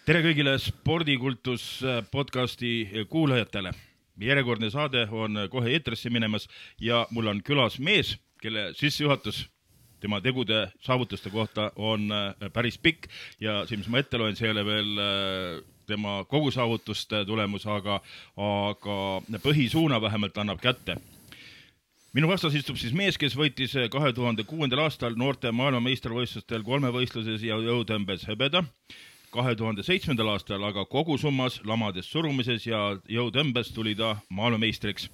Tere kõigile Spordikultus podcasti kuulajatele. Järjekordne saade on kohe eetrisse minemas ja mul on külas mees, kelle sissejuhatus tema tegude saavutuste kohta on päris pikk ja see, mis ma ette loen, see ei ole veel tema kogu saavutuste tulemus, aga põhisuuna vähemalt annab kätte. Minu vastas istub siis mees, kes võitis 2006. aastal noorte maailmameistrivõistlustel kolmevõistluses ja jõutõmbes hõbeda. 2007. aastal aga kogusummas lamades surumises ja jõutõmbes tuli ta maailmameistriks.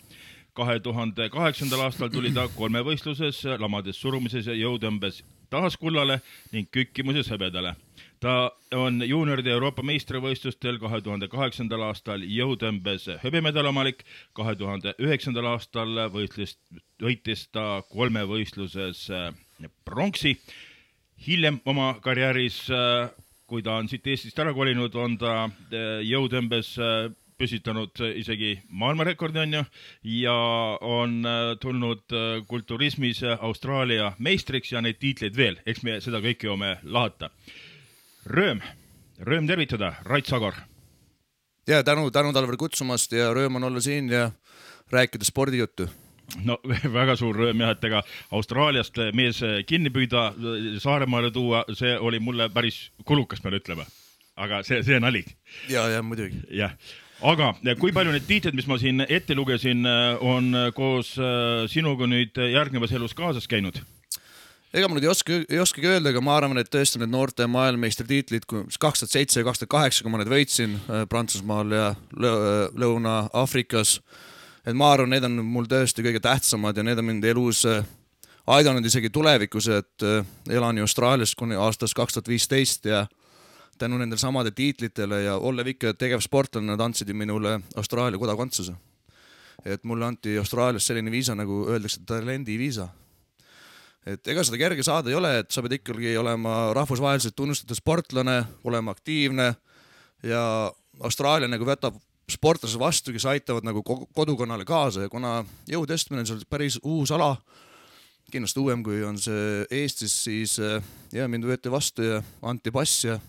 2008. aastal tuli ta kolmevõistluses lamades surumises ja jõutõmbes taas kullale ning kükkimuses hõbedale. Ta on juunioride Euroopa meistrivõistlustel 2008. aastal jõutõmbes hõbemedalomalik, 2009. aastal võitis ta kolmevõistluses pronksi. Hiljem oma karjääris, kui ta on siit Eestist ära kolinud, on ta jõutõmbes püsitanud isegi maailmarekordi on ju, ja on tulnud kulturismis Austraalia meistriks ja neid tiitleid veel. Eks me seda kõike joome lahata. Rõõm tervitada, Rait Sagor. Ja tänu Talver kutsumast ja rõõm on olla siin ja rääkida spordijuttu. No väga suur rõõm jah, et ega Austraaliast mees kinni püüda, Saaremaale tuua, see oli mulle päris kulukas, pean ütlema. Aga see on nali. Ja muidugi. Jah. Aga kui palju need tiitled, mis ma siin ette lugesin, on koos sinuga nüüd järgnevas elus kaasas käinud? Ega ma nüüd ei oskagi öelda, aga ma arvan, et tõesti need noorte maailmameistri tiitlid 2007 ja 2008, kui ma need võitsin Prantsusmaal ja Lõuna-Afrikas, et ma arvan, need on mul tõesti kõige tähtsamad ja need on mind elus aidanud isegi tulevikus, et elan Austraalias kuni aastast 2015 ja tänu nendel samade tiitlitele ja olla ikka tegev sportlane, nad andsid minule Austraalia kodakondsuse. Et mulle anti Austraalias selline viisa, nagu öeldakse, talendiviisa. Et ega seda kerge saada ei ole, et sa pead ikkagi olema rahvusvaheliselt tunnustatud sportlane, olema aktiivne ja Austraalia nagu võtab sportlase vastu, kes aitavad nagu kodukonnale kaasa ja kuna jõutõstmine on seal päris uus ala, kindlasti uuem kui on see Eestis, siis mind võeti vastu ja anti pass ja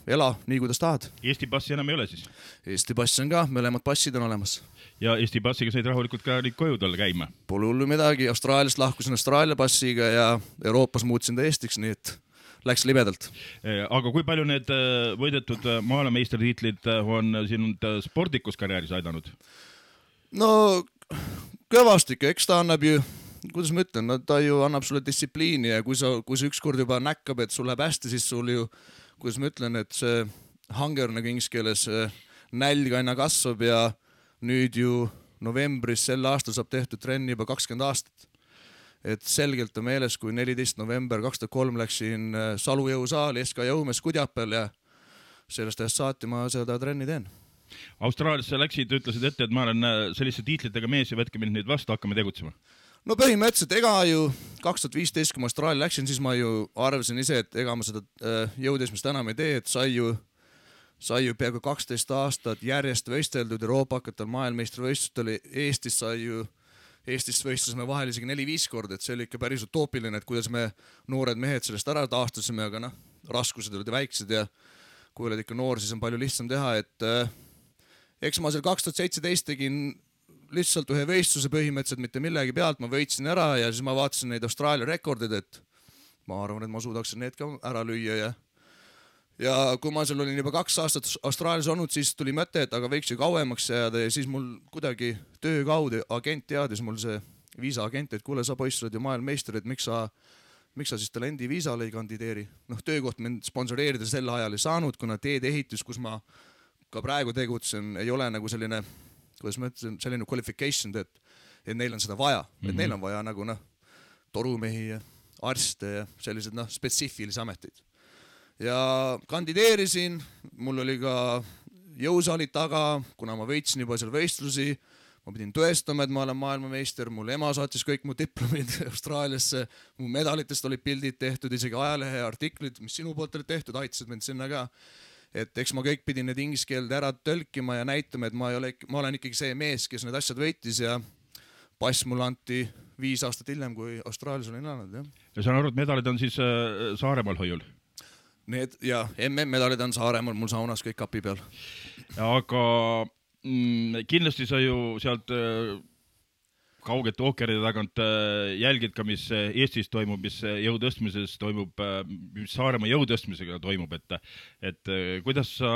ela nii, kuidas tahad. Eesti passi enam ei ole siis? Eesti pass on ka, mõlemad passid on olemas. Ja Eesti passiga said rahulikult ka nüüd koju talle käima? Pole hullu midagi, Austraaliast lahkusin Austraalia passiga ja Euroopas muutsin ta Eestiks, nii et läks libedalt. Aga kui palju need võidetud maailmameistritiitlid on sinult spordikus karjääris aidanud? No kõvasti ikka, eks ta annab ju, kuidas ma ütlen, ta ju annab sulle distsipliini ja kui sa ükskord juba näkkab, et sul läheb hästi, siis sul ju, kuidas ma ütlen, et see hunger nagu inglise keeles nälg aina kasvab ja nüüd ju novembris sel aastal saab tehtud trenni juba 20 aastat. Et selgelt on meeles, kui 14. november 2003 läksin Salu jõusaali SK Jõumees Kudjapel ja sellest ajast saati ma seda trenni teen. Austraaliasse läksid, ütlesid ette, et ma olen sellise tiitlitega mees ja võtke mind nüüd vastu, hakkame tegutsema. No põhimõtteliselt, ega ju 2015, kui ma Austraalia läksin, siis ma ju arvasin ise, et ega ma seda jõudesmist enam ei tee, et sai ju peaaegu 12 aastat järjest võisteldud Euroopakatel maailmameistrivõistlustel, Eestis võistlusime vahel isegi 4-5 korda, et see oli ikka päris utoopiline, et kuidas me noored mehed sellest ära taastasime, aga raskused olid väiksed ja kui oled ikka noor, siis on palju lihtsam teha, et eks ma seal 2017 tegin lihtsalt ühe võistluse põhimõtteliselt mitte millegi pealt, ma võitsin ära ja siis ma vaatasin neid Austraalia rekordid, et ma arvan, et ma suudaksin need ka ära lüüa ja kui ma seal olin juba 2 aastat Austraalias olnud, siis tuli mõte, et aga võiks ju kauemaks jääda ja siis mul kuidagi töö kaudu agent teadis mul see viisaagent, et kuule, sa poiss oled ju maailmameister, et miks sa siis talendi viisale ei kandideeri. Töökoht mind sponsoreerida sel ajal ei saanud, kuna teedeehitus, kus ma ka praegu tegutsen, ei ole nagu selline, kuidas ma ütlen, selline qualification, et neil on seda vaja, et neil on vaja nagu torumehi ja arste ja sellised spetsiifilisi ameteid. Ja kandideerisin, mul oli ka jõusaalid taga, kuna ma võitsin juba seal võistlusi, ma pidin tõestama, et ma olen maailmameister, mul ema saatis kõik mu diplomid Austraaliasse, mu medalitest olid pildid tehtud, isegi ajalehe artiklid, mis sinu poolt olid tehtud, aitasid mind sinna ka. Et eks ma kõik pidin need inglise keelde ära tõlkima ja näitama, et ma olen ikkagi see mees, kes need asjad võitis ja pass mulle anti 5 aastat hiljem, kui Austraalias olin elanud. Ja saan aru, et medalid on siis Saaremaal hoiul? Need ja MM-medalid on Saaremaal mul saunas kõik kapi peal. Aga kindlasti sa ju sealt kaugete ookeride tagant jälgid ka, mis Eestis toimub, mis jõutõstmises toimub, mis Saaremaa jõutõstmisega toimub, et kuidas sa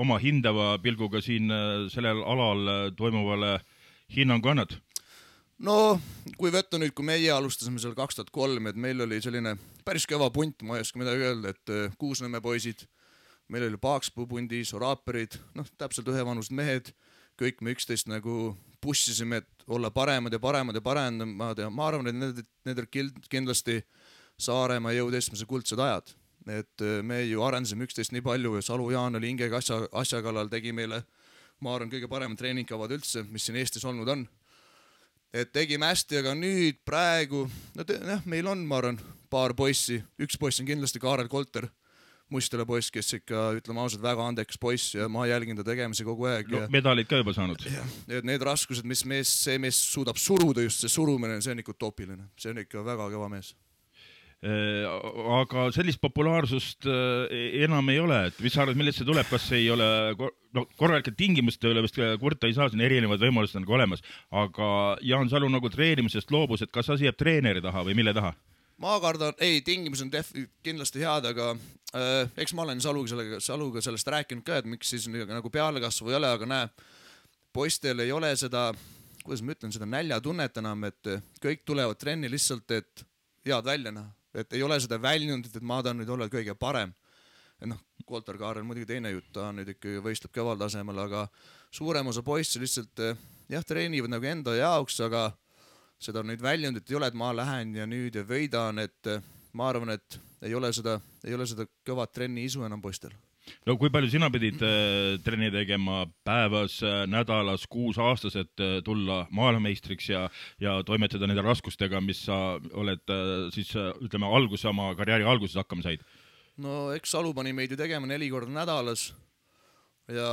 oma hindava pilguga siin sellel alal toimuvale hinnangu annad? No, kui võtta nüüd, kui meie alustasime seal 2003, et meil oli selline päris kõva punt, ma ei oska midagi öelda, et Kuusnõmme poisid, meil oli Paakspuu pundis, Oraaperid, täpselt ühevanused mehed, kõik me üksteist nagu pussisime, et olla paremad ja paremad ja paremad ja ma arvan, et need on kindlasti Saaremaa jõutõstmise kuldsed ajad. Et me ju arendasime üksteist nii palju ja Salu Jaan oli hingega asja kallal, tegi meile, ma arvan, kõige paremad treeningkavad üldse, mis siin Eestis olnud on. Et tegime hästi, aga nüüd praegu, meil on, ma arvan, paar poissi, üks poiss on kindlasti Kaarel Kolter, Mustele poiss, kes ikka, ütleme ausalt, väga andekas poiss ja ma jälgin ta tegemisi kogu aeg. No, medalid ka juba saanud. Ja need raskused, mis see mees suudab suruda, just see surumine, see on ikka utopiline. See on ikka väga kõva mees. Aga sellist populaarsust enam ei ole, et mis sa arvad, millest see tuleb, kas ei ole korralikult tingimuste üle vist kurta ei saa, siin erinevad võimalused on ka olemas, aga Jaan Salu nagu treenimisest loobus, et kas asi jääb treeneri taha või mille taha? Ma kardan, tingimus on kindlasti head, aga eks ma olen Saluga sellest rääkinud ka, et miks siis nagu pealekasvu ei ole, aga näe, poistel ei ole seda, kuidas ma ütlen, seda näljatunnet enam, et kõik tulevad trenni lihtsalt, et head välja näha. Et ei ole seda väljundit, et ma tahan nüüd olla kõige parem. Kolter Kaarel muidugi teine jutt, ta nüüd ikka võistleb kõval tasemel, aga suurem osa poisse lihtsalt treenivad nagu enda jaoks, aga seda nüüd väljundit ei ole, et ma lähen ja nüüd ja võidan, et ma arvan, et ei ole seda kõvat trenni isu enam poistel. No kui palju sina pidid trenni tegema päevas, nädalas, 6 aastas, et tulla maailmameistriks ja toimetada nende raskustega, mis sa oled siis, ütleme, oma karjääri alguses hakkama said? No eks Salu pani meid ju tegema 4 korda nädalas ja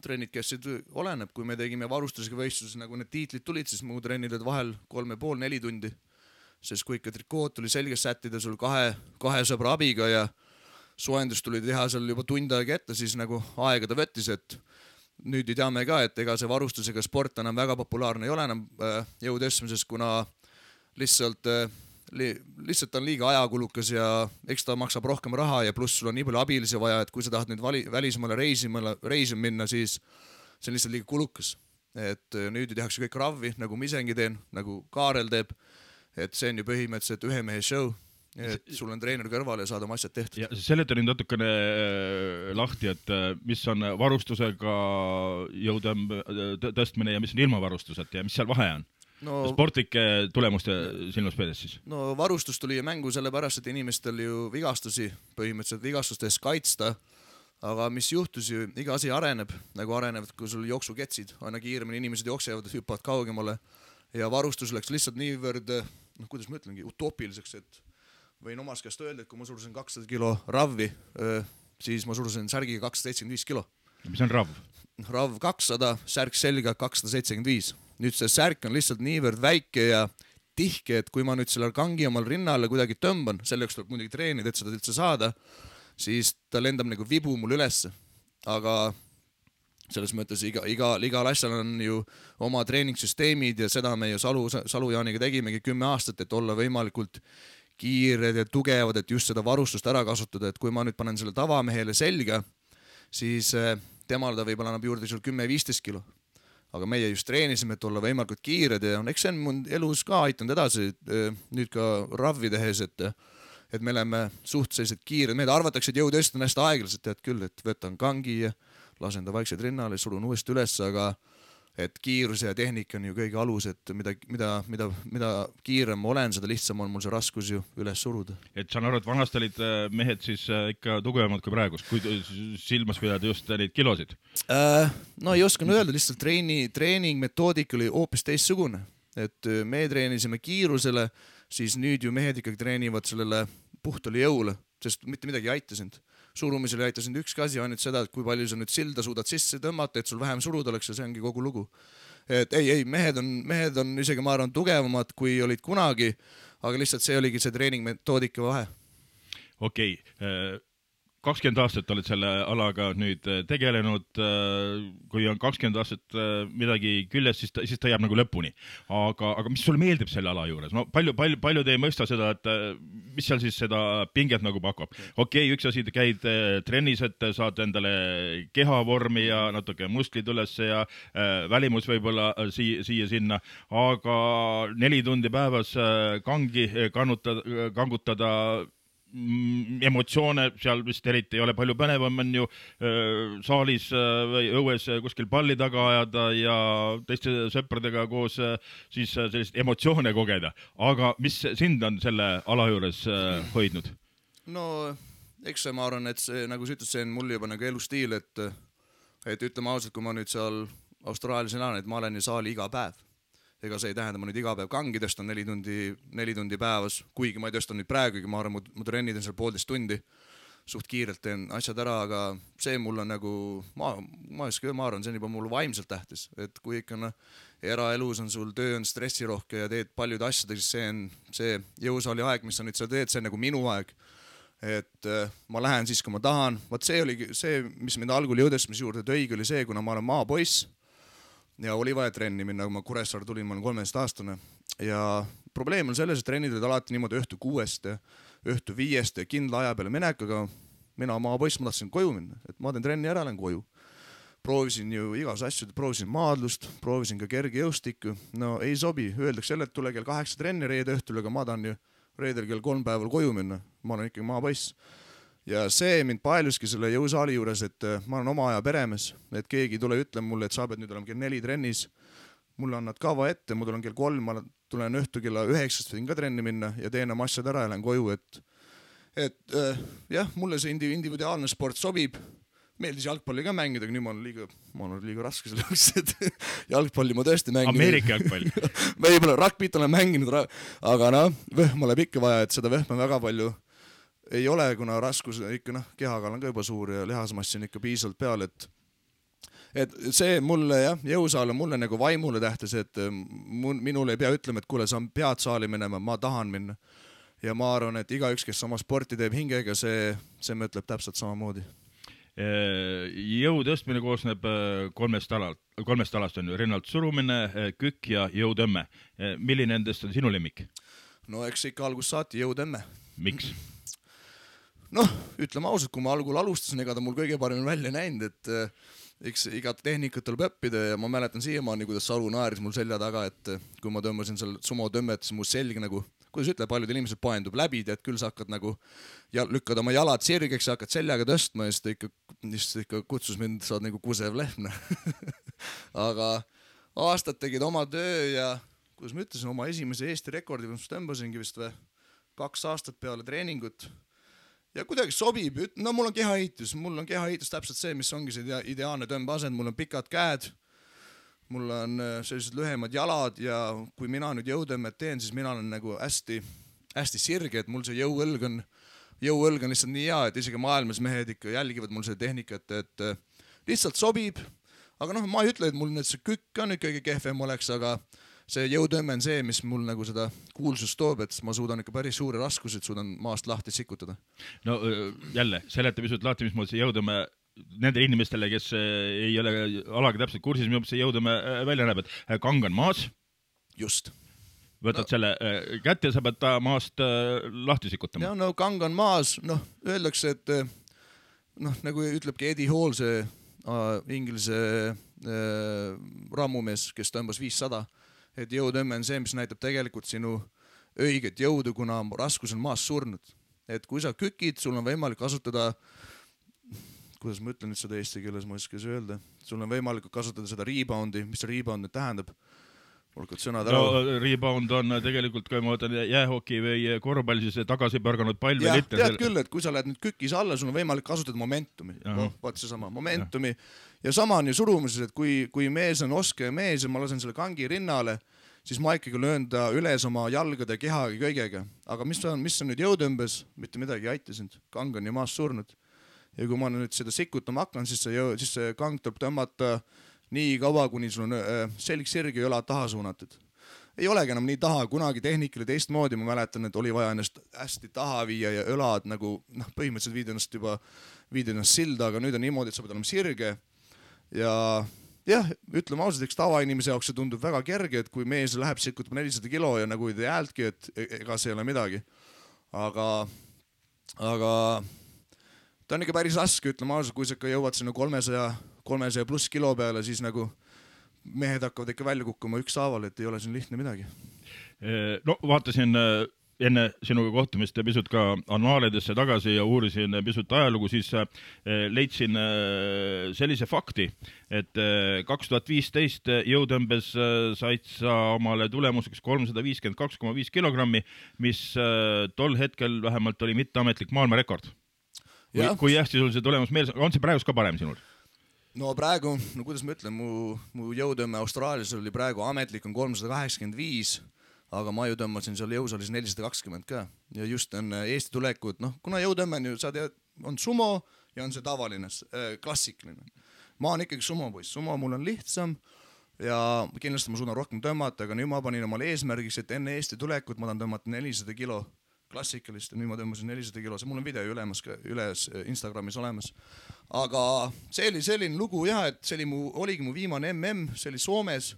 trennid käisid, oleneb, kui me tegime varustusega võistluses, nagu need tiitlid tulid, siis muu trennid olid vahel 3,5-4 tundi, sest kui ikka trikoot tuli selges sättida sul kahe sõbra abiga ja soojendust tuli teha seal juba tund aega ette, siis nagu aega ta võttis, et nüüd ei teame ka, et ega see varustusega sport enam väga populaarne ei ole enam jõutõstmises, kuna lihtsalt on liiga ajakulukas ja eks ta maksab rohkem raha ja pluss sul on nii palju abilisi vaja, et kui sa tahad nüüd välismaale reisima minna, siis see on lihtsalt liiga kulukas. Et nüüd tehakse kõik ravvi, nagu ma isengi teen, nagu Kaarel teeb, et see on ju põhimõtteliselt ühe mehe show. Et sul on treener kõrval ja saad oma asjad tehtud. Ja seleta nüüd natukene lahti, et mis on varustusega jõutõstmine ja mis on ilma varustused ja mis seal vahe on? Sportlike tulemuste silmas peedes siis? No varustus tuli mängu sellepärast, et inimestel ju vigastusi, põhimõtteliselt vigastustest kaitsta, aga mis juhtus ju, iga asi areneb, nagu arenevad, kui sul jooksuketsid, aina kiiremini inimesed jooksevad, hüppavad kaugemale ja varustus läks lihtsalt niivõrd, kuidas ma ütlengi, utopiliseks, et võin omast käest öelda, et kui ma surusin 200 kilo ravvi, siis ma surusin särgiga 275 kilo. Mis on rav? Rav 200, särk selga 275. Nüüd see särk on lihtsalt niivõrd väike ja tihke, et kui ma nüüd selle kangi omal rinnalle kuidagi tõmban, selleks tuleb muidugi treenida, et seda üldse saada, siis ta lendab nagu vibu mul ülesse. Aga selles mõttes igal asjal on ju oma treeningsüsteemid ja seda me ju Salu Jaaniga tegimegi 10 aastat, et olla võimalikult kiired ja tugevad, et just seda varustust ära kasutada, et kui ma nüüd panen selle tavamehele selga, siis temal ta võib-olla annab juurde 10-15 kilo. Aga meie just treenisime, et olla võimalikult kiired ja eks see on mun elus ka aitanud edasi, nüüd ka ravvi tehes, et me oleme suht sellised kiired, meid arvatakse, et jõutõst on hästi aeglaselt, tead küll, et võtan kangi ja lasen ta vaikselt rinnale, surun uuesti üles, aga et kiiruse ja tehnika on ju kõige alus, et mida kiirem olen, seda lihtsam on mul see raskus ju üles suruda. Et saan aru, et vanast olid mehed siis ikka tugevamad kui praegust, kui silmas pidada just neid kilosid? No ei oskan öelda, lihtsalt treening metoodik oli hoopis teistsugune, et me treenisime kiirusele, siis nüüd ju mehed ikkagi treenivad sellele puhtale jõule, sest mitte midagi ei aita sind. Surumisel ei aita sind ükski asi, ainult seda, et kui palju sa nüüd silda suudad sisse tõmmata, et sul vähem suruda oleks ja see ongi kogu lugu. Et ei, mehed on isegi, ma arvan, tugevamad kui olid kunagi, aga lihtsalt see oligi see treeningmetoodika vahe. okei, 20 aastat oled selle alaga nüüd tegelenud, kui on 20 aastat midagi küljes, siis ta jääb nagu lõpuni. Aga mis sulle meeldib selle ala juures? No paljud ei mõista seda, et mis seal siis seda pinget nagu pakub. Okei, üks asi, käid trennis, et saad endale kehavormi ja natuke musklid üles ja välimus võib-olla siia-sinna, aga 4 tundi päevas kangi kangutada emotsioone, seal vist eriti ei ole palju põnevam, on ju saalis või õues kuskil palli taga ajada ja teiste sõpradega koos siis sellist emotsioone kogeda. Aga mis sind on selle ala juures hoidnud? No eks ma arvan, et see, nagu sa ütles, see on mul juba nagu elustiil, et ütleme ausalt, kui ma nüüd seal Austraalias elan, et ma olen ju saali iga päev. Ega see ei tähenda, ma nüüd iga päev kangi tõstan 4 tundi päevas, kuigi ma ei tõsta nüüd praegugi, ma arvan, mu trennid on seal 1,5 tundi, suht kiirelt teen asjad ära, aga see mul on nagu, ma arvan, see on juba mul vaimselt tähtis, et kui ikka eraelus on sul töö on stressirohke ja teed paljude asjadega, siis see on see jõusaali aeg, mis sa nüüd seal teed, see on nagu minu aeg, et ma lähen siis, kui ma tahan. Vaat see oligi see, mis mind algul jõudes, mis juurde tõigi, oli see, kuna ma olen maapoiss, ja oli vaja trenni minna, kui ma Kuressaare tulin, ma olen 13-aastane ja probleem on selles, et trennid olid alati niimoodi õhtu 6 ja õhtu 5 ja kindla aja peale minek, aga mina maapoiss, ma tahtsin koju minna, et ma teen trenni ära, lähen koju. Proovisin ju igas asju, proovisin maadlust, proovisin ka kerge jõustikku, no ei sobi, öeldakse jälle, et tule kell 8 trenni reede õhtul, aga ma tahan ju reedel kell 3 päeval koju minna, ma olen ikkagi maapoiss. Ja see mind paeluski selle jõusaali juures, et ma olen oma aja peremees, et keegi tule ütleb mulle, et sa pead nüüd olema kell 4 trennis, mulle annad kava ette, ma tulen kell 3, ma tulen õhtu kella 9, võin ka trenni minna ja teen oma asjad ära ja lähen koju, et jah, mulle see individuaalne sport sobib, meeldis jalgpalli ka mängida, aga nüüd ma olen liiga raske selleks, et jalgpalli ma tõesti mängin. Ameerika jalgpalli. Võib-olla rakbit olen mänginud, aga võhma läheb ikka vaja, et seda võhma väga palju ei ole, kuna raskus ikka kehakaal on ka juba suur ja lihasmassi on ikka piisavalt peal, et see mulle jõusaal on mulle nagu vaimule tähtis, et minul ei pea ütlema, et kuule, sa pead saali minema, ma tahan minna. Ja ma arvan, et igaüks, kes oma sporti teeb hingega, see mõtleb täpselt samamoodi. Jõu tõstmine koosneb 3 alast on ju, rinnalt surumine, kükk ja jõutõmme. Milline nendest on sinu lemmik? No eks ikka algus saati jõutõmme. Miks? Noh, ütleme ausalt, kui ma algul alustasin, ega ta mul kõige paremini välja näinud, et eks igat tehnikat tuleb õppida ja ma mäletan siiamaani, kuidas Salu naeris mul selja taga, et kui ma tõmbasin seal sumo tõmmet, siis mu selg nagu, kuidas ütleb, paljud inimesed paendub läbi, et küll sa hakkad nagu lükkad oma jalad sirgeks ja hakkad seljaga tõstma ja siis ta ikka kutsus mind, saad nagu kusev lehm. Aga aastad tegid oma töö ja kuidas ma ütlesin, oma esimese Eesti rekordi, mis tõmbasingi vist 2 aastat peale treeningut. Ja kuidagi sobib, no mul on kehaehitus täpselt see, mis ongi see ideaalne tõmbeasend, mul on pikad käed, mul on sellised lühemad jalad ja kui mina nüüd jõutõmmet teen, siis mina olen nagu hästi sirge, et mul see jõuõlg on lihtsalt nii hea, et isegi maailmas mehed ikka jälgivad mul seda tehnikat, et lihtsalt sobib, aga ma ei ütle, et mul nüüd see kükk on ikkagi kehvem oleks, aga see jõutõmme on see, mis mul nagu seda kuulsust toob, et ma suudan ikka päris suuri raskusid, suudan maast lahti sikutada. No jälle, seleta pisut lahti, mis mul see jõutõmme nende inimestele, kes ei ole alaga täpselt kursis, mis see jõutõmme välja näeb, et kang on maas. Just. Võtad selle kätt ja sa pead ta maast lahti sikutama. Ja, no kang on maas, öeldakse, et nagu ütlebki Eddie Hall, see inglise rammumees, kes tõmbas 500, et jõutõmme on see, mis näitab tegelikult sinu õiget jõudu, kuna raskus on maas surnud. Et kui sa kükid, sul on võimalik kasutada, kuidas ma ütlen nüüd seda eesti keeles, ma oskaks öelda, sul on võimalik kasutada seda reboundi, mis see rebound nüüd tähendab? Rebound on tegelikult, kui ma võtan jäähoki või korvpall, siis tagasi pörganud pall või litte. Tead küll, et kui sa lähed nüüd kükis alla, sul on võimalik kasutada momentumi. Vaat see sama momentumi. Ja sama on ju surumises, et kui mees on oske mees ja ma lasen selle kangi rinnale, siis ma ikkagi löön ta üles oma jalgade kehaga kõigega. Aga mis on nüüd jõutõmbes? Mitte midagi ei aita sind. Kang on ju maas surnud. Ja kui ma nüüd seda sikutama hakkan, siis see kang tuleb tõmmata nii kaua, kuni sul on selg sirge ja jalad taha suunatud. ei olegi enam nii taha, kunagi tehnika oli teistmoodi, ma mäletan, et oli vaja ennast hästi taha viia ja õlad nagu põhimõtteliselt viid ennast silda, aga nüüd on niimoodi, et sa pead olema sirge ja jah, ütleme ausalt, eks tavainimese jaoks see tundub väga kerge, et kui mees läheb sikutab 400 kilo ja nagu ei tee häältki, et ega see ei ole midagi. Aga ta on ikka päris raske, ütleme ausalt, kui sa ikka jõuad sinna 300 pluss kilo peale, siis nagu mehed hakkavad ikka välja kukkuma ükshaaval, et ei ole siin lihtne midagi. No vaatasin enne sinuga kohtumist pisut ka annaalidesse tagasi ja uurisin pisut ajalugu, siis leidsin sellise fakti, et 2015 jõutõmbes said sa omale tulemuseks 352,5 kilogrammi, mis tol hetkel vähemalt oli mitteametlik maailmarekord. Kui hästi sul see tulemus meeles, on see praegu ka parem sinul? No praegu, no kuidas ma ütlen, mu jõutõmme Austraalias oli praegu ametlik on 385, aga ma jõutõmmasin seal jõusaalis 420 ka ja just on Eesti tulekud, kuna jõutõmme on ju, sa tead, on sumo ja on see tavaline, klassikaline. Ma on ikkagi sumopoiss, sumo mul on lihtsam ja kindlasti ma suudan rohkem tõmmata, aga nüüd ma panin omale eesmärgiks, et enne Eesti tulekut ma tahan tõmmata 400 kilo klassikalist ja nüüd ma tõmbasin 400 kilo, mul on video üles Instagramis olemas. Aga see oli selline lugu jah, et see oligi mu viimane see oli Soomes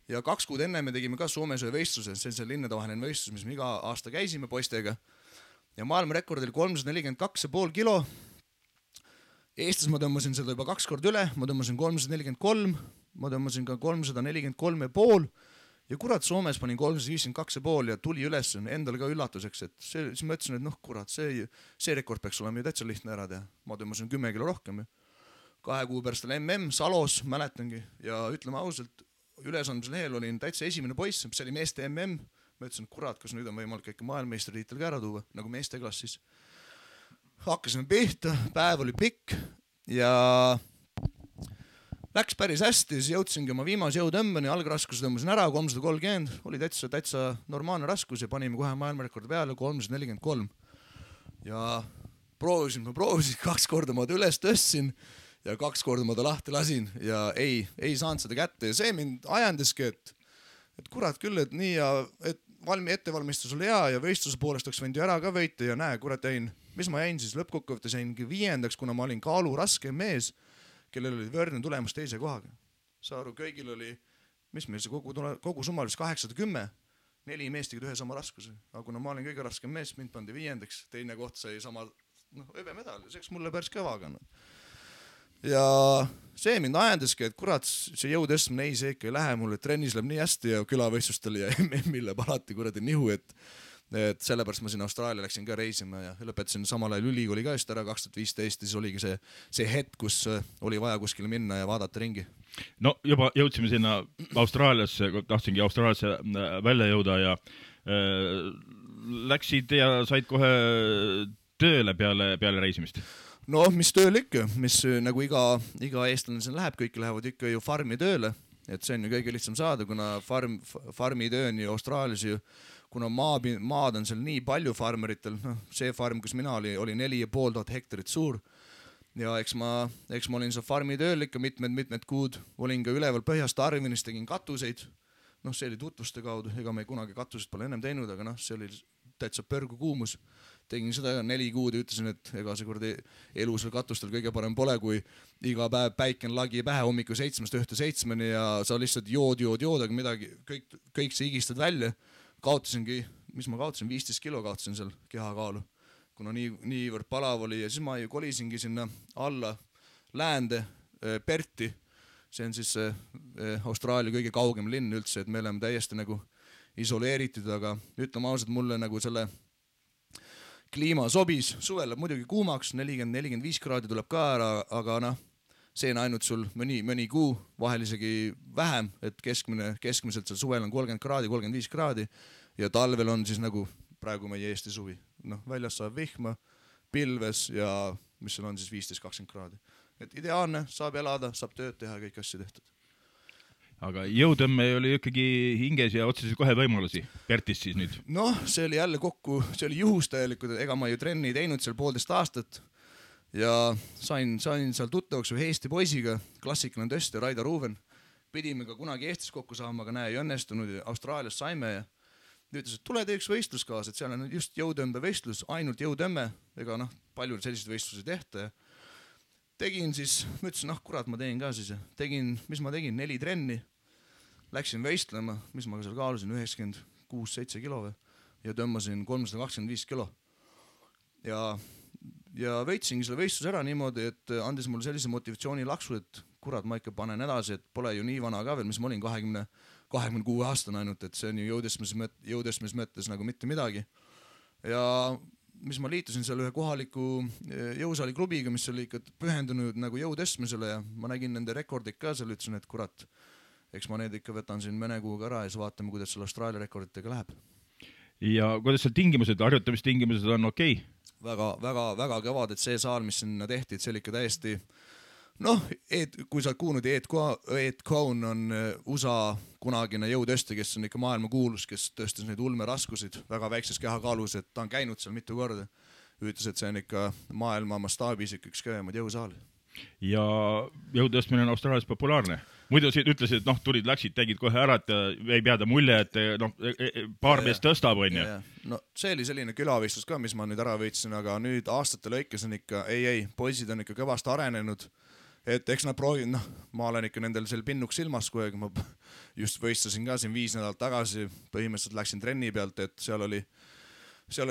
ja 2 kuud enne me tegime ka Soomes ühe võistluse, see on see linnadevaheline võistlus, mis me iga aasta käisime poistega ja maailmarekord oli 342,5 kilo. Eestis ma tõmbasin seda juba 2 korda üle, ma tõmbasin 343, ma tõmbasin ka 343,5 ja kurat, Soomes panin 352,5 ja tuli üles endale ka üllatuseks, et siis ma ütlesin, et kurat, see rekord peaks olema ju täitsa lihtne ära teha. Ma tõmbasin 10 kilo rohkem. 2 kuu pärast Salos, mäletangi, ja ütleme ausalt, ülesandmise lehel olin täitsa esimene poiss, see oli meeste Ma ütlesin, kurat, kas nüüd on võimalik ikka maailmameistritiitel ka ära tuua, nagu meeste klassis. Hakkasime pihta, päev oli pikk ja läks päris hästi, siis jõudsingi oma viimase jõutõmbeni, algraskus tõmbasin ära, 330, oli täitsa normaalne raskus ja panime kohe maailmarekordi peale 343. Ja proovisin 2 korda ma ta üles tõstsin ja 2 korda ma ta lahti lasin ja ei saanud seda kätte ja see mind ajandiski, et kurat küll, et nii ja et ettevalmistus oli hea ja võistluse poolest oleks võinud ju ära ka võita ja näe, kurat jäin, mis ma jäin siis lõppkokkuvõttes jäingi 5., kuna ma olin kaalu raskem mees, kellel oli võrdne tulemus teise kohaga. Sa aru, kõigil oli, mis meil see kogu summa oli 810, 4 meest tegid ühe sama raskuse. Aga kuna ma olin kõige raskem mees, mind pandi 5., teine koht sai sama hõbemedal, seks mulle päris kõvaga. Ja see mind ajendaski, et kurat, see jõutõstmine see ikka ei lähe mulle, trennis läheb nii hästi ja külavõistlustel ja MM-il läheb alati kuradi nihu, et sellepärast ma siin Austraalia läksin ka reisima ja lõpetasin samal ajal ülikooli ka just ära 2015 ja siis oligi see hetk, kus oli vaja kuskile minna ja vaadata ringi. No juba jõudsime sinna Austraaliasse, tahtsingi Austraaliasse välja jõuda ja läksid ja said kohe tööle peale reisimist? No mis tööl ikka, mis nagu iga eestlane siin läheb, kõik lähevad ikka ju farmi tööle, et see on ju kõige lihtsam saada, kuna farmi töö on ju Austraalias ju kuna maad on seal nii palju farmeritel, see farm, kus mina oli 4500 hektarit suur ja eks ma olin seal farmi tööl ikka mitmed kuud, olin ka üleval Põhjas Darwinis, tegin katuseid, see oli tutvuste kaudu, ega me kunagi katuseid pole ennem teinud, aga see oli täitsa pörgu kuumus, tegin seda 4 kuud ja ütlesin, et ega see kord elu seal katustel kõige parem pole, kui iga päev päike on lagi pähe hommiku 7-7 ja sa lihtsalt jood, aga midagi, kõik sa higistad välja. Kaotasingi, mis ma kaotasin, 15 kilo kaotasin seal kehakaalu, kuna niivõrd palav oli ja siis ma ju kolisingi sinna alla läände Perthi, see on siis Austraalia kõige kaugem linn üldse, et me oleme täiesti nagu isoleeritud, aga ütleme ausalt, mulle nagu selle kliima sobis, suvel läheb muidugi kuumaks, 40-45 kraadi tuleb ka ära, aga see on ainult sul mõni kuu, vahel isegi vähem, et keskmiselt seal suvel on 30 kraadi, 35 kraadi ja talvel on siis nagu praegu meie Eesti suvi. Väljas saab vihma, pilves ja mis seal on siis 15-20 kraadi. Et ideaalne, saab elada, saab tööd teha, kõik asju tehtud. Aga jõutõmme oli ikkagi hinges ja otsesid kohe võimalusi Pertis siis nüüd? See oli jälle kokku, see oli juhustajalikud, ega ma ju trenni ei teinud seal 1,5 aastat. Ja sain seal tuttavaks ühe Eesti poisiga, klassikaline tõesti, Raida Ruuven. pidime ka kunagi Eestis kokku saama, aga näe, ei õnnestunud ja Austraalias saime ja ütles, et tule teeks võistlus kaasa, et seal on just jõutõmbe võistlus, ainult jõutõmme, ega palju selliseid võistlusi tehta ja tegin siis, ma ütlesin, kurat, ma teen ka siis ja mis ma tegin, 4 trenni, läksin võistlema, mis ma seal kaalusin, 96-7 kilo ja tõmbasin 325 kilo ja võitsingi selle võistluse ära niimoodi, et andis mulle sellise motivatsiooni laksu, et kurat, ma ikka panen edasi, et pole ju nii vana ka veel, mis ma olin 26 aastane ainult, et see on ju jõudestmise mõttes nagu mitte midagi. Ja mis ma liitusin seal ühe kohaliku jõusaali klubiga, mis oli ikka pühendunud nagu jõudestmisele ja ma nägin nende rekordid ka seal, ütlesin, et kurat, eks ma need ikka võtan siin mõne kuuga ära ja siis vaatame, kuidas seal Austraalia rekorditega läheb. Ja kuidas seal tingimused, harjutamistingimused on okei? Väga kõvad, et see saal, mis sinna tehti, et see oli ikka täiesti kui sa oled kuulnud, Ed Cohn on USA kunagine jõutõstja, kes on ikka maailma kuulus, kes tõstas neid ulmeraskusid väga väikses kehakaalus, et ta on käinud seal mitu korda. Ütles, et see on ikka maailma mastaabis ikka üks kõvemad jõusaal. Ja jõutõstmine on Austraalias populaarne. Muidu ütlesid, et tulid, läksid, tegid kohe ära, et ei peada mulje, et paar meest tõstab, on ju. No see oli selline külavõistlus ka, mis ma nüüd ära võitsin, aga nüüd aastate lõikes on ikka, poisid on ikka kõvasti arenenud. Et eks nad proovid, ma olen ikka nendel seal pinnuks silmas, kui ma just võistlesin ka siin 5 nädalat tagasi, põhimõtteliselt läksin trenni pealt, et seal oli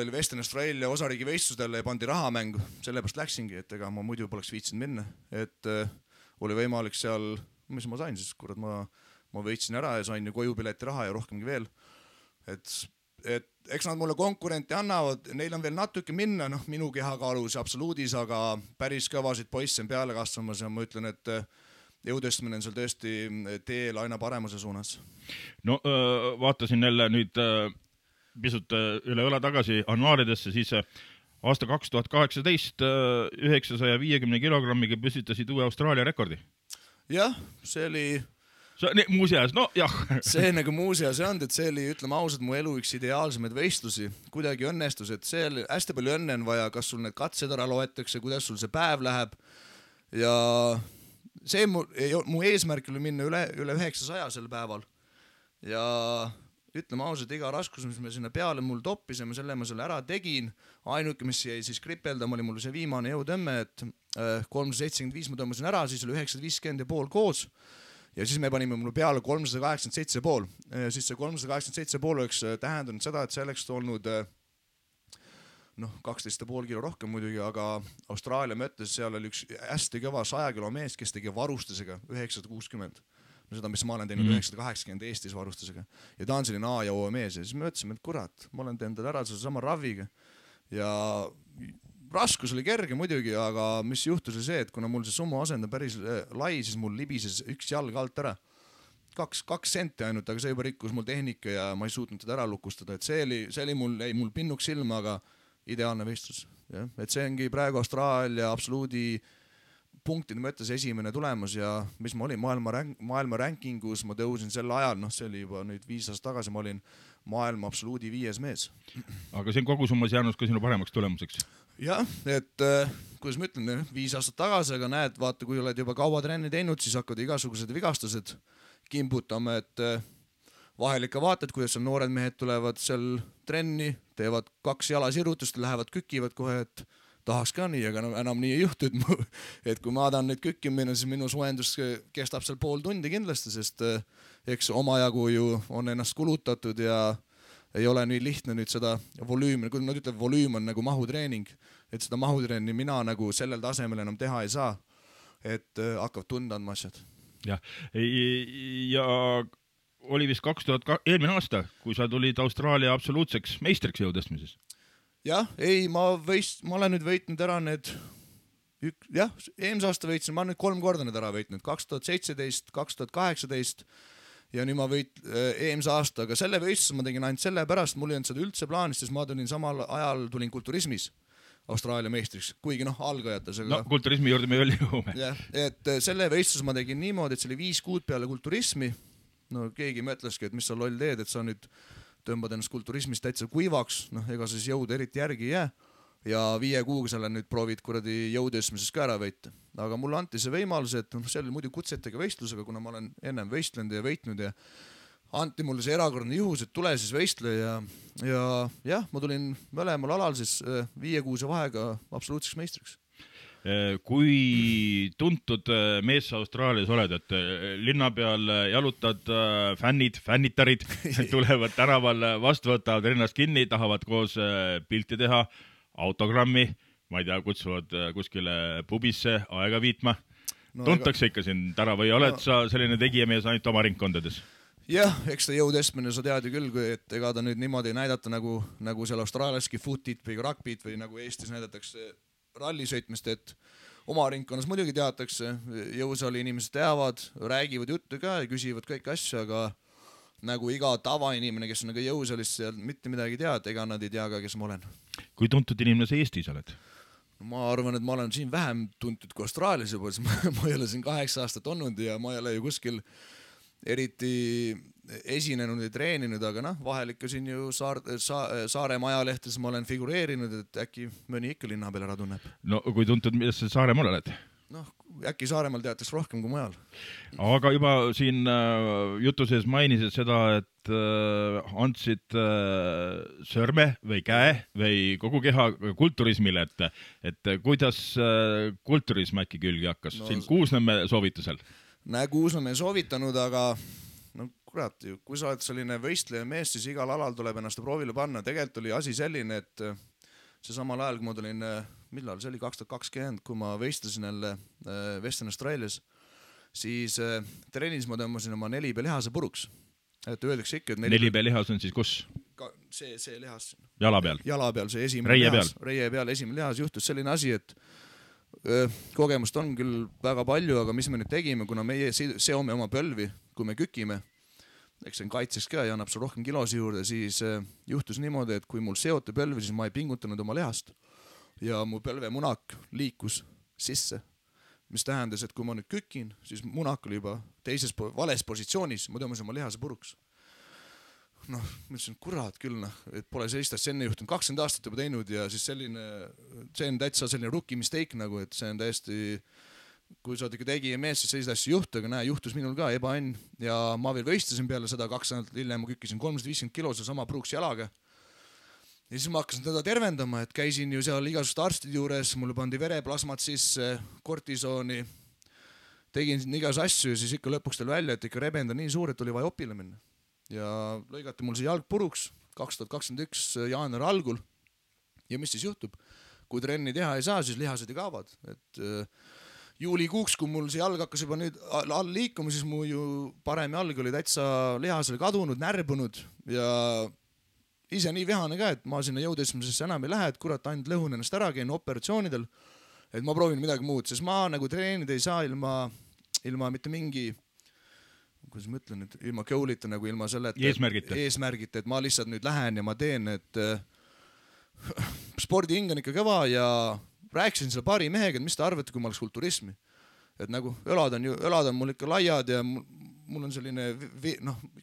Western Australia osariigi võistlustel ja pandi rahamängu, sellepärast läksingi, et ega ma muidu poleks viitsinud minna, et oli võimalik seal, mis ma sain siis, kurat, ma võitsin ära ja sain ju kojupileti raha ja rohkemgi veel, et eks nad mulle konkurenti annavad, neil on veel natuke minna, minu kehakaalus absoluudis, aga päris kõvasid poisse on peale kasvamas ja ma ütlen, et jõudestmine on seal tõesti teel aina paremuse suunas. No vaatasin jälle nüüd pisut üle õla tagasi annuaaridesse, siis aasta 2018 950 kilogrammiga püstitasid uue Austraalia rekordi. Jah, see oli... Muuseas, jah. See nagu muuseas on, et see oli, ütleme ausalt, mu elu üks ideaalsemaid võistlusi. Kuidagi õnnestus, et see oli hästi palju õnne on vaja, kas sul need katsed ära loetakse, kuidas sul see päev läheb. Ja see mu eesmärk oli minna üle 900 sel päeval. Ja ütleme ausalt, iga raskus, mis me sinna peale mul toppisime, selle ma selle ära tegin. Ainuke, mis jäi siis kripeldama, oli mul see viimane jõutõmme, et 375 ma tõmbasin ära, siis oli 950 ja pool koos. Ja siis me panime mulle peale 387,5. Siis see 387,5 oleks tähendanud seda, et see oleks olnud 12,5 kilo rohkem muidugi, aga Austraalia mõttes seal oli üks hästi kõva 100 kilo mees, kes tegi varustusega 960. Seda, mis ma olen teinud 980 Eestis varustusega. Ja ta on selline A ja O mees ja siis me mõtlesime, et kurat, ma olen teinud ära selle sama raviga ja raskus oli kerge muidugi, aga mis juhtus oli see, et kuna mul see summu asend on päris lai, siis mul libises üks jalg alt ära. 2 senti ainult, aga see juba rikkus mul tehnika ja ma ei suutnud teda ära lukustada. Et see oli mul pinnuks silma, aga ideaalne võistlus. Ja? Et see ongi praegu Austraalia absoluudi punktide mõttes esimene tulemus ja mis ma olin maailma rankingus, ma tõusin sel ajal, see oli juba nüüd 5 aastat tagasi, ma olin maailma absoluudi 5. mees. Aga see on kogu summas jäänud ka sinu paremaks tulemuseks? Jah, et kuidas ma ütlen, 5 aastat tagasi, aga näed, vaata, kui oled juba kaua trenni teinud, siis hakkad igasugused vigastused kimbutama, et vahel ikka vaatad, kuidas seal noored mehed tulevad seal trenni, teevad 2 jalasirutust, lähevad kükivad kohe, et tahaks ka nii, aga enam nii ei juhtu, et kui ma tahan nüüd kükki minna, siis minu soojendus kestab seal pool tundi kindlasti, sest eks omajagu ju on ennast kulutatud ja ei ole nii lihtne nüüd seda volüümi, kui nad ütleb, volüüm on nagu mahutreening, et seda mahutreeni mina nagu sellel tasemel enam teha ei saa, et hakkavad tunda andma asjad. Ja oli vist eelmine aasta, kui sa tulid Austraalia absoluutseks meistriks jõutõstmises. Jah, ma olen nüüd võitnud ära need, eelmise aasta võitsin, ma olen nüüd 3 korda need ära võitnud, 2017, 2018 ja nüüd ma eelmise aasta, aga selle võistluse ma tegin ainult selle pärast, mul ei olnud seda üldse plaanis, sest ma samal ajal tulin kulturismis Austraalia meistriks, kuigi algajates. Kulturismi juurde me oli jõume. Jah, et selle võistluse ma tegin niimoodi, et see oli 5 kuud peale kulturismi, keegi mõtleski, et mis sa loll teed, et sa nüüd tõmbad ennast kulturismist täitsa kuivaks, ega siis jõud eriti järgi ei jää ja 5 kuuga selle nüüd proovid kuradi jõutõstmises ka ära võita. aga mulle anti see võimalus, et see oli muidu kutsetega võistlusega, kuna ma olen ennem võistlenud ja võitnud ja anti mulle see erakordne juhus, et tule siis võistle ja jah, ma tulin mõlemal alal siis 5 kuuse vahega absoluutseks meistriks. Kui tuntud mees Austraalias oled, et linna peal jalutad, fännitarid tulevad tänaval vastu, võtavad ennast kinni, tahavad koos pilti teha, autogrammi, ma ei tea, kutsuvad kuskile pubisse aega viitma. Tuntakse ikka siin täna või oled sa selline tegijamees ainult oma ringkondades? Jah, eks ta jõudestmine, sa tead ju küll, et ega ta nüüd niimoodi ei näidata nagu seal Austraaliaski footit või rugbyt või nagu Eestis näidatakse rallisõitmist, et oma ringkonnas muidugi teatakse, jõusaali inimesed teavad, räägivad juttu ka ja küsivad kõik asju, aga nagu iga tavainimene, kes on nagu jõusaalis seal mitte midagi tead, ega nad ei tea ka, kes ma olen. Kui tuntud inimene sa Eestis oled? Ma arvan, et ma olen siin vähem tuntud kui Austraalias juba, ma ei ole siin 8 aastat olnud ja ma ei ole ju kuskil eriti esinenud ja treeninud, aga vahel ikka siin ju Saaremaa ajalehtedes ma olen figureerinud, et äkki mõni ikka linna peal ära tunneb. No kui tuntud, milles sa Saaremaal oled? Äkki Saaremaal teatakse rohkem kui mujal. Aga juba siin jutu sees mainisid seda, et andsid sõrme või käe või kogu keha kulturismile, et kuidas kulturism äkki külgi hakkas siin Kuusnõmme soovitusel? Kuusnõmme ei soovitanud, aga kurat, kui sa oled selline võistleja mees, siis igal alal tuleb ennast proovile panna. Tegelikult oli asi selline, et see samal ajal, kui ma tulin, millal, see oli 2020, kui ma võistlesin jälle Western Australias, siis trennis ma tõmbasin oma 4 lihase puruks. Et öeldakse ikka, et 4 lihas on siis kus? See lihas. Jala peal? Jala peal, see esimene lihas. Reie peal esimene lihas juhtus selline asi, et kogemust on küll väga palju, aga mis me nüüd tegime, kuna meie seome oma pölvi, kui me kükime, eks see on kaitseks ka ja annab sul rohkem kilosi juurde, siis juhtus niimoodi, et kui mul seoti pölvi, siis ma ei pingutanud oma lihast ja mu pölvemunak liikus sisse, mis tähendas, et kui ma nüüd kükin, siis munak oli juba vales positsioonis, ma tõmbasin oma lihase puruks. Ma ütlesin, kurat küll, et pole sellist asja enne juhtunud, 20 aastat juba teinud ja siis see on täitsa selline rookie mistake nagu, et see on täiesti, kui sa oled ikka tegija mees, siis sellist asja juhtu, aga juhtus minul ka ebaõnn ja ma veel võistlesin peale seda 2 nädalat hiljem, ma kükkisin 350 kilo sama pruuks jalaga. Ja siis ma hakkasin teda tervendama, et käisin ju seal igasuguste arstide juures, mulle pandi vereplasmat sisse, kortisooni, tegin igasuguseid asju ja siis ikka lõpuks tal välja, et ikka rebend on nii suur, et oli vaja opile minna. Ja lõigati mul see jalg puruks 2021 jaanuari algul ja mis siis juhtub? Kui trenni teha ei saa, siis lihased ei kaavad. Et juulikuuks, kui mul see jalg hakkas juba nüüd all liikuma, siis mu ju parem jalg oli täitsa lihas oli kadunud, närbunud ja ise nii vihane ka, et ma sinna jõudesmisesse enam ei lähe, et kurat ainult lõhun ennast ära, käin operatsioonidel, et ma proovin midagi muud, sest ma nagu treenida ei saa ilma mitte mingi kuidas ma ütlen, et ilma goal'ita nagu ilma selle, eesmärgita, et ma lihtsalt nüüd lähen ja ma teen, et spordihing on ikka kõva ja rääkisin selle paari mehega, et mis te arvate, kui ma oleks kulturismi. Et nagu õlad on mul ikka laiad ja mul on selline,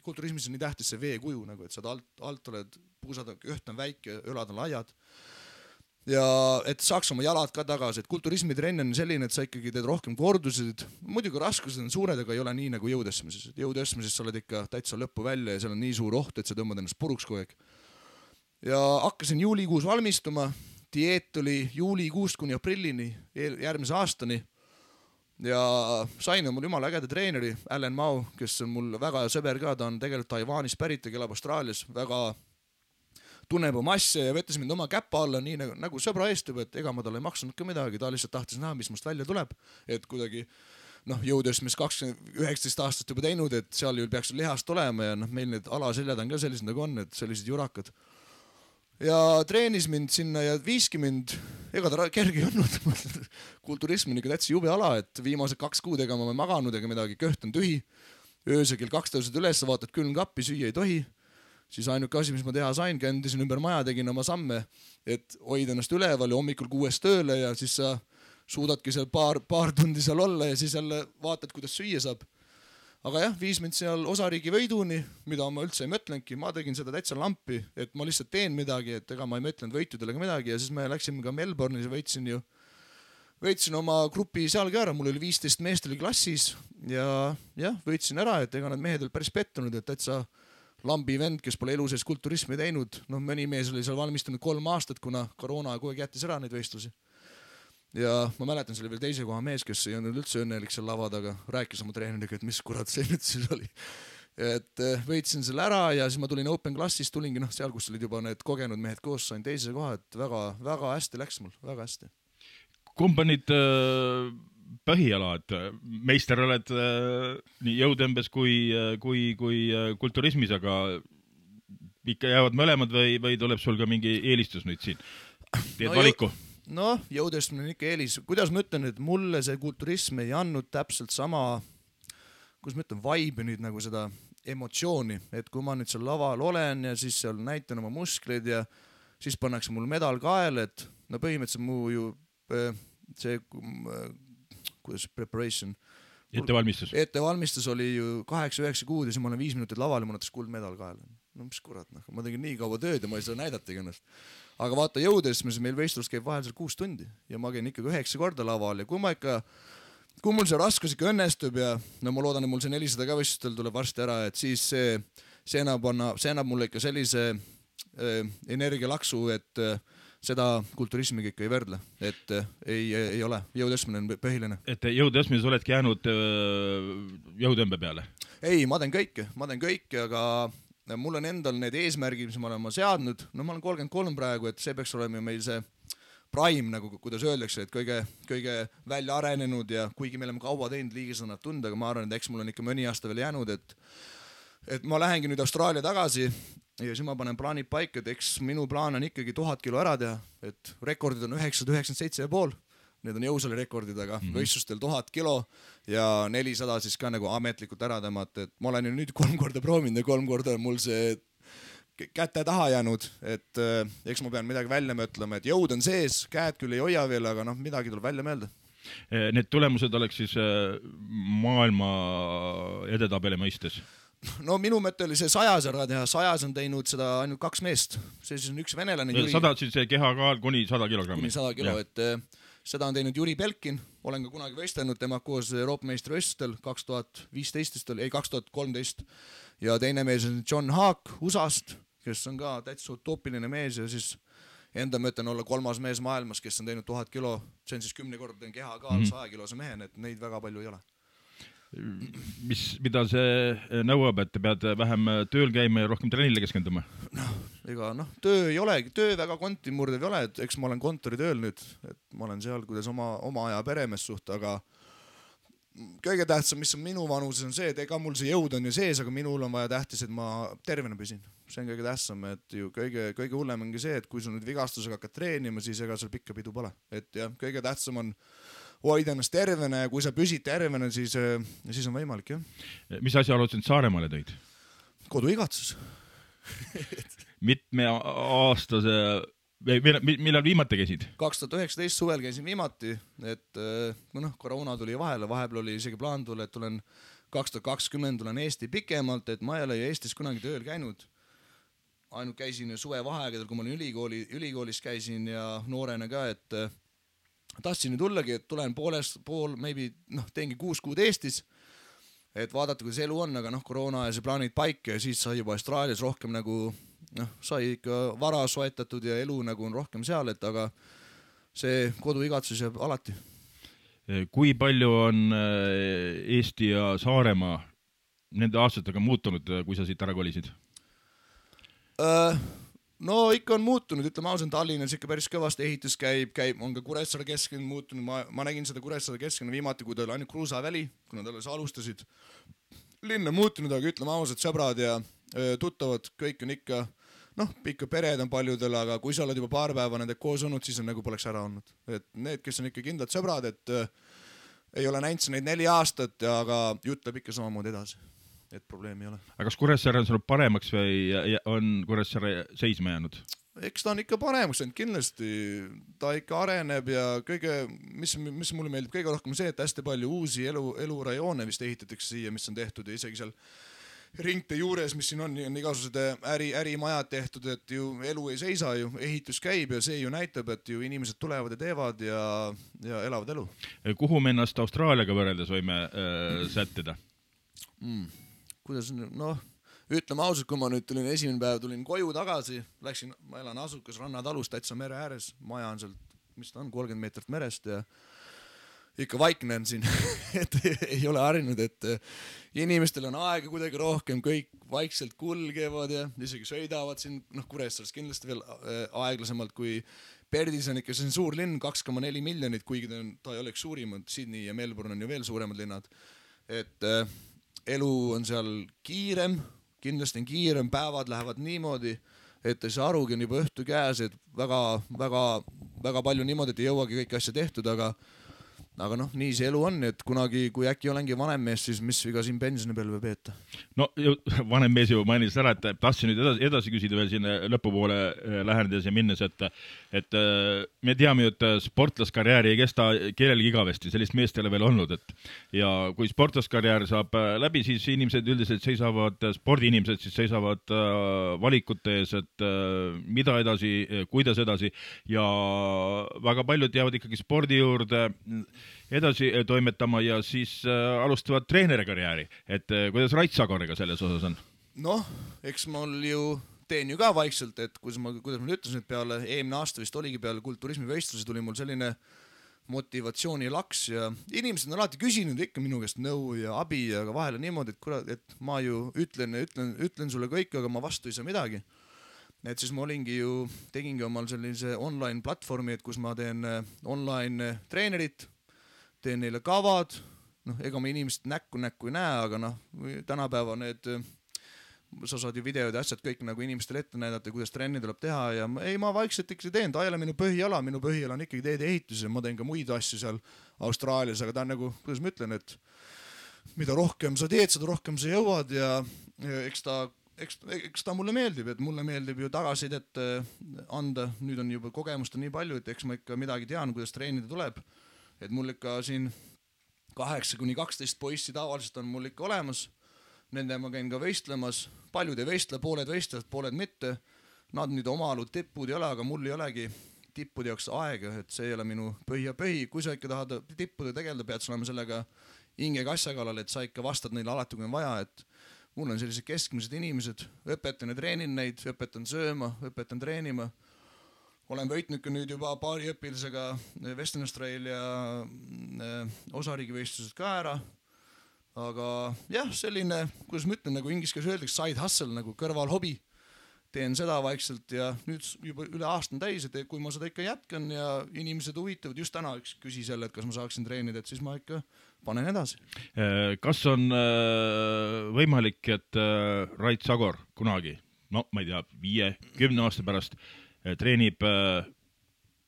kulturismis on nii tähtis see veekuju, nagu, et sa alt oled, puusad, õht on väike, õlad on laiad. Ja et saaks oma jalad ka tagasi, et kulturismitrenn on selline, et sa ikkagi teed rohkem kordusid, muidugi raskused on suured, aga ei ole nii nagu jõudesmises. Jõudesmises sa oled ikka täitsa lõppu välja ja seal on nii suur oht, et sa tõmbad ennast puruks kogu aeg. Ja hakkasin juulikuus valmistuma, dieet oli juulikuust kuni aprillini, järgmise aastani ja sain mul jumala ägeda treeneri, Alan Mao, kes on mul väga sõber ka, ta on tegelikult Taiwanist pärit ja elab Austraalias, väga tunneb oma asja ja võttis mind oma käpa alla nii nagu sõbra eestub, et ega ma talle ei maksanud ka midagi, ta lihtsalt tahtis näha, mis must välja tuleb, et kuidagi jõudesmis 19 aastat juba teinud, et seal ju peaks lihast olema ja meil need alaseljad on ka sellised nagu on, et sellised jurakad. Ja treenis mind sinna ja viiski mind, ega ta kerge ei olnud, kulturism on ikka täitsa jube ala, et viimased 2 kuud ega ma ei maganud ega midagi, kõht on tühi, ööse kell 2 tõused üles, vaatad külmkappi, süüa ei tohi. Siis ainuke asi, mis ma teha sain, kändisin ümber maja, tegin oma samme, et hoida ennast üleval ja hommikul 6 tööle ja siis sa suudadki seal paar tundi seal olla ja siis jälle vaatad, kuidas süüa saab. Aga jah, viis mind seal osariigi võiduni, mida ma üldse ei mõtlenudki, ma tegin seda täitsa lampi, et ma lihtsalt teen midagi, et ega ma ei mõtlenud võitudele ka midagi ja siis me läksime ka Melbourne'is ja võitsin ju võitsin oma grupi seal ka ära, mul oli 15 meest oli klassis ja jah, võitsin ära, et ega need mehed olid päris pettunud, et täitsa lambi vend, kes pole elu sees kulturismi teinud, noh mõni mees oli seal valmistunud 3 aastat, kuna koroona kogu aeg jättis ära neid võistlusi. Ja ma mäletan, see oli veel teise koha mees, kes ei olnud üldse õnnelik seal lava taga, rääkis oma treeneriga, et mis kurat see nüüd siis oli. Et võitsin selle ära ja siis ma tulin open klassis, tulingi seal, kus olid juba need kogenud mehed koos, sain teise koha, et väga hästi läks mul, väga hästi. Kumba nüüd põhiala, et meister oled nii jõutõmbes kui kulturismis, aga ikka jäävad mõlemad või tuleb sul ka mingi eelistus nüüd siin? Teed valiku? No, jõudestmine on ikka eelis. Kuidas ma ütlen, et mulle see kulturism ei andnud täpselt sama, kuidas ma ütlen, vibe nüüd nagu seda emotsiooni, et kui ma nüüd seal laval olen ja siis seal näitan oma muskleid ja siis pannakse mul medal kael, et no põhimõtteliselt mu ju see, kuidas preparation? Ettevalmistus oli ju 8-9 kuud ja siis ma olen 5 minutit laval ja mul näiteks kuldmedal kael. No mis kurat, ma tegin nii kaua tööd ja ma ei saa näidatagi ennast. Aga vaata jõudes, meil võistlus käib vahel seal 6 tundi ja ma käin ikkagi 9 korda laval ja kui mul see raskus ikka õnnestub ja no ma loodan, et mul see 400 ka võistlustel tuleb varsti ära, et siis see annab mulle ikka sellise energialaksu, et seda kulturismiga ikka ei võrdle, et ei ole, jõutõstmine on põhiline. Et jõutõstmises oledki jäänud jõutõmbe peale? Ei, ma teen kõike, aga mul on endal need eesmärgid, mis ma olen seadnud, no ma olen 33 praegu, et see peaks olema meil see prime, nagu kuidas öeldakse, et kõige välja arenenud ja kuigi me oleme kaua teinud liigesõnad tunda, aga ma arvan, et eks mul on ikka mõni aasta veel jäänud, et ma lähengi nüüd Austraalia tagasi ja siis ma panen plaanid paika, et eks minu plaan on ikkagi 1000 kilo ära teha, et rekordid on 997,5, need on jõusaali rekordid, aga võistlustel 1000 kilo ja 400 siis ka nagu ametlikult ära tõmmata, et ma olen ju nüüd 3 korda proovinud ja 3 korda on mul see käte taha jäänud, et eks ma pean midagi välja mõtlema, et jõud on sees, käed küll ei hoia veel, aga noh, midagi tuleb välja mõelda. Need tulemused oleks siis maailma edetabeli mõistes? No minu mõte oli see 100 ära teha, 100 on teinud seda ainult 2 meest, see siis on üks venelane. 100 siis kehakaal kuni 100 kilogrammi? Kuni 100 kilo, et seda on teinud Juri Belkin, olen ka kunagi võistelnud tema koos Euroopa meistrivõistlustel 2013 ja teine mees on John Haak USA-st, kes on ka täitsa utoopiline mees ja siis enda mõte on olla 3. mees maailmas, kes on teinud 1000 kilo, see on siis 10 korda kehakaal 100 kilose mehen, et neid väga palju ei ole. Mida see nõuab, et te pead vähem tööl käima ja rohkem treenile keskenduma? Töö ei olegi, töö väga kontimurdev ei ole, et eks ma olen kontoritööl nüüd, et ma olen seal, kuidas oma aja peremees suht, aga kõige tähtsam, mis on minu vanuses on see, et ega mul see jõud on ju sees, aga minul on vaja tähtis, et ma tervena püsin. See on kõige tähtsam, et ju kõige hullem ongi see, et kui sul nüüd vigastusega hakkad treenima, siis ega seal pikka pidu pole. Et jah, kõige tähtsam on hoida ennast tervena ja kui sa püsid tervena, siis on võimalik, jah. Mis asjaolud sind Saaremaale tõid? Koduigatsus. Mitme aastase, millal viimati käisid? 2019 suvel käisin viimati, et koroona tuli vahele, vahepeal oli isegi plaan tulla, et tulen 2020 tulen Eesti pikemalt, et ma ei ole ju Eestis kunagi tööl käinud. Ainult käisin suvevaheaegadel, kui ma olin ülikoolis käisin ja noorena ka, et tahtsin nüüd tullagi, et tulen teengi 6 kuud Eestis, et vaadata, kuidas elu on, aga koroona ja see plaanid paika ja siis sai juba Austraalias rohkem nagu, sai ikka vara soetatud ja elu nagu on rohkem seal, et aga see koduigatsus jääb alati. Kui palju on Eesti ja Saaremaa nende aastatega muutunud, kui sa siit ära kolisid? No ikka on muutunud, ütleme ausalt, Tallinnas ikka päris kõvasti ehitus käib, on ka Kuressaare keskkond muutunud, ma nägin seda Kuressaare keskkonna viimati, kui ta oli ainult kruusaväli, kuna ta alles alustasid. Linn on muutunud, aga ütleme ausalt, sõbrad ja tuttavad, kõik on ikka pered on paljudel, aga kui sa oled juba paar päeva nendega koos olnud, siis on nagu poleks ära olnud. Et need, kes on ikka kindlad sõbrad, et ei ole näinud neid 4 aastat, aga jutt läheb ikka samamoodi edasi. Et probleemi ei ole. Aga kas Kuressaare on saanud paremaks või on Kuressaare seisma jäänud? Eks ta on ikka paremaks, kindlasti ta ikka areneb ja mis mulle meeldib kõige rohkem see, et hästi palju uusi elurajoone vist ehitatakse siia, mis on tehtud ja isegi seal ringte juures, mis siin on igasugused ärimajad tehtud, et ju elu ei seisa ju, ehitus käib ja see ju näitab, et ju inimesed tulevad ja teevad ja elavad elu. Kuhu me ennast Austraaliaga võrreldes võime sättida? Kuidas, noh, ütleme ausalt, kui ma nüüd tulin esimene päev, tulin koju tagasi, ma elan asukas rannatalus, täitsa mere ääres, maja on sealt, mis ta on, 30 meetrit merest ja ikka vaikne on siin, et ei ole harjunud, et inimestel on aega kuidagi rohkem, kõik vaikselt kulgevad ja isegi sõidavad siin, noh, Kuressaares kindlasti veel aeglasemalt kui Perdis on ikka, see on suur linn, 2,4 miljonit, kuigi ta ei oleks suurimad, Sydney ja Melbourne on ju veel suuremad linnad, et elu on seal kiirem, kindlasti on kiirem, päevad lähevad niimoodi, et ei saa arugi, on juba õhtu käes, et väga palju niimoodi, et ei jõuagi kõiki asja tehtud, aga noh, nii see elu on, et kunagi, kui äkki olengi vanem mees, siis mis viga siin pensionipõlve peeta? No vanem mees ju mainis ära, et tahtsin nüüd edasi küsida veel siin lõpupoole lähenedes ja minnes, et me teame ju, et sportlaskarjääri ei kesta kellelgi igavesti, sellist meest ei ole veel olnud, et ja kui sportlaskarjäär saab läbi, siis inimesed üldiselt seisavad, spordiinimesed siis seisavad valikute ees, et mida edasi, kuidas edasi ja väga paljud jäävad ikkagi spordi juurde edasi toimetama ja siis alustavad treenerikarjääri, et kuidas Rait Sagoriga selles osas on? Noh, eks mul ju teen ju ka vaikselt, et kuidas ma ütlesin, et peale eelmine aasta vist oligi peale kulturismivõistlusi tuli mul selline motivatsioonilaks ja inimesed on alati küsinud ikka minu käest nõu ja abi, aga vahel on niimoodi, et kurat, et ma ju ütlen sulle kõik, aga ma vastu ei saa midagi. Et siis ma tegingi omal sellise online platvormi, et kus ma teen online treenerit, teen neile kavad, noh, ega ma inimesed näkku ei näe, aga noh, tänapäeva sa saad ju videod ja asjad kõik nagu inimestele ette näidata, kuidas trenni tuleb teha ja ma vaikselt ikkagi teen, ta ei ole minu põhiala on ikkagi teede ehitus ja ma teen ka muid asju seal Austraalias, aga ta on nagu, kuidas ma ütlen, et mida rohkem sa teed, seda rohkem sa jõuad ja eks ta mulle meeldib, et mulle meeldib ju tagasisidet anda, nüüd on juba kogemust on nii palju, et eks ma ikka midagi tean, kuidas treenida tuleb, et mul ikka siin 8-12 poissi tavaliselt on mul ikka olemas, nende ma käin ka võistlemas, paljud ei võistle, pooled võistlevad, pooled mitte, nad nüüd oma alu tippud ei ole, aga mul ei olegi tippude jaoks aega, et see ei ole minu põhi, kui sa ikka tahad tippude tegeleda, pead sa olema sellega hingega asja kallal, et sa ikka vastad neile alati, kui on vaja, et mul on sellised keskmised inimesed, õpetan ja treenin neid, õpetan sööma, õpetan treenima, olen võitnud ka nüüd juba paari õpilasega Western Australia osariigivõistlused ka ära, aga jah, selline, kuidas ma ütlen, nagu inglise keeles öeldakse, side hustle, nagu kõrvalhobi, teen seda vaikselt ja nüüd juba üle aasta on täis, et kui ma seda ikka jätkan ja inimesed huvitavad, just täna üks küsis jälle, et kas ma saaksin treenida, et siis ma ikka panen edasi. Kas on võimalik, et Rait Sagor kunagi, no ma ei tea, 5-10 aasta pärast treenib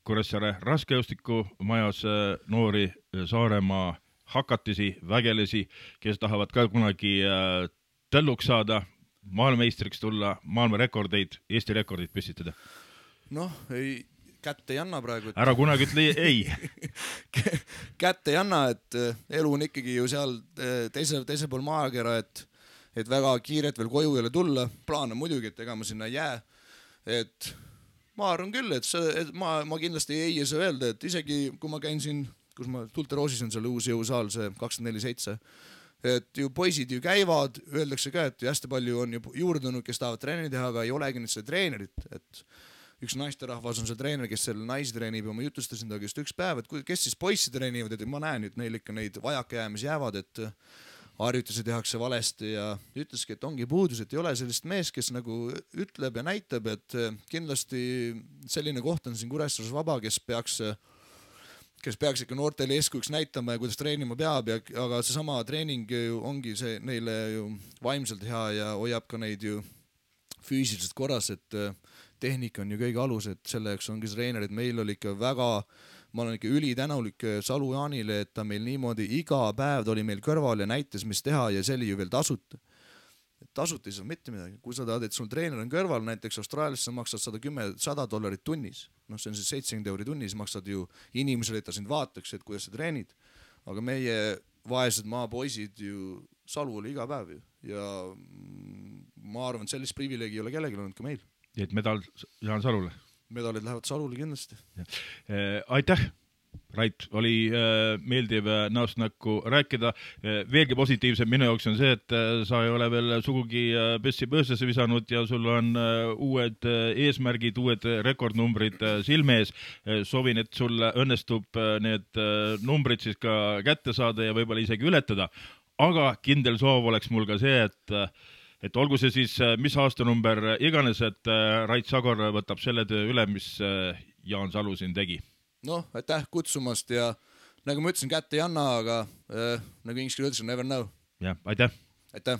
Kuressaare raskejõustiku majas noori Saaremaa hakatisi, vägelisi, kes tahavad ka kunagi tõlluks saada, maailmameistriks tulla, maailmarekordeid, Eesti rekordid püstitada? Noh, kätt ei anna praegu. Ära kunagi ütle ei. Kätt ei anna, et elu on ikkagi ju seal teise pool maakera, et väga kiiret veel koju jälle tulla. Plaan on muidugi, et ega ma sinna ei jää. Et ma arvan küll, et ma kindlasti ei saa öelda, et isegi kui ma käin siin, kus ma Tulteroosis on seal uus jõusaal, see 24/7, et ju poisid ju käivad, öeldakse ka, et hästi palju on ju juurdunud, kes tahavad treeni teha, aga ei olegi nüüd seda treenerit, et üks naisterahvas on see treener, kes seal naisi treenib ja ma jutustasin taga just üks päev, et kes siis poissi treenivad, et ma näen, et neil ikka neid vajakajäämisi jäävad, et harjutusi tehakse valesti ja ütleski, et ongi puudus, et ei ole sellist meest, kes nagu ütleb ja näitab, et kindlasti selline koht on siin Kuressaares vaba, kes peaks ikka noortele eeskujuks näitama ja kuidas treenima peab, aga seesama treening ju ongi see neile ju vaimselt hea ja hoiab ka neid ju füüsiliselt korras, et tehnika on ju kõige alus, et selle jaoks ongi see treener, et meil oli ikka ma olen ikka ülitänulik Salu Jaanile, et ta meil niimoodi iga päev ta oli meil kõrval ja näitas, mis teha ja see oli ju veel tasuta. Tasuta ei saa mitte midagi, kui sa tahad, et sul treener on kõrval, näiteks Austraalias sa maksad $100 tunnis, noh see on siis 70 € tunnis, maksad ju inimesele, et ta sind vaataks, et kuidas sa treenid, aga meie vaesed maapoisid ju Salu oli iga päev ju, ja ma arvan, et sellist privileegi ei ole kellelgi olnud ka meil. Et medal Jaan Salule? Medalid lähevad Salule kindlasti. Aitäh, Rait, oli meeldiv näost näkku rääkida. Veelgi positiivsem minu jaoks on see, et sa ei ole veel sugugi pessi pöösesse visanud ja sul on uued eesmärgid, uued rekordnumbrid silme ees. Soovin, et sul õnnestub need numbrid siis ka kätte saada ja võib-olla isegi ületada. Aga kindel soov oleks mul ka see, et olgu see siis mis aastanumber iganes, et Rait Sagor võtab selle töö üle, mis Jaan Salu siin tegi. Aitäh kutsumast ja nagu ma ütlesin, kätte ei anna, aga nagu inglise keeles ütlesin, never know. Jah, aitäh. Aitäh.